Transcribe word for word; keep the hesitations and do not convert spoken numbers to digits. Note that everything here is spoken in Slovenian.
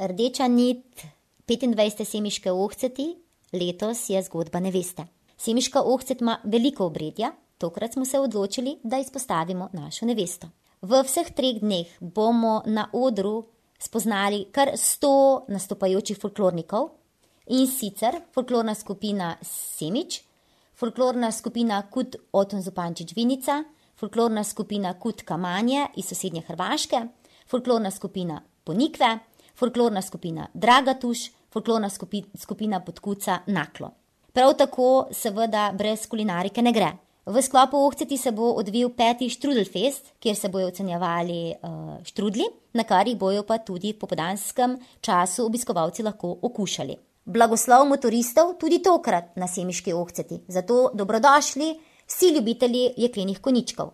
rdeča nit petindvajsete semiške ohceti letos je zgodba neveste. Semiška ohcet ima veliko obredja, tokrat smo se odločili, da izpostavimo našo nevesto. V vseh treh dneh bomo na odru spoznali kar sto nastopajočih folklornikov, in sicer folklorna skupina Semič, folklorna skupina Kut Oton Zupančič Vinica, folklorna skupina Kut Kamanje iz sosednje Hrvaške, folklorna skupina Ponikve, folklorna skupina Dragatuš, folklorna skupi, skupina Podkuca Naklo. Prav tako seveda brez kulinarike ne gre. V sklopu ohceti se bo odvil peti Štrudelfest, kjer se bojo ocenjevali uh, štrudli, na kar jih bojo pa tudi v popoldanskem času obiskovalci lahko okušali. Blagoslov motoristov tudi tokrat na semiški ohceti, zato dobrodošli vsi ljubitelji jeklenih konjičkov.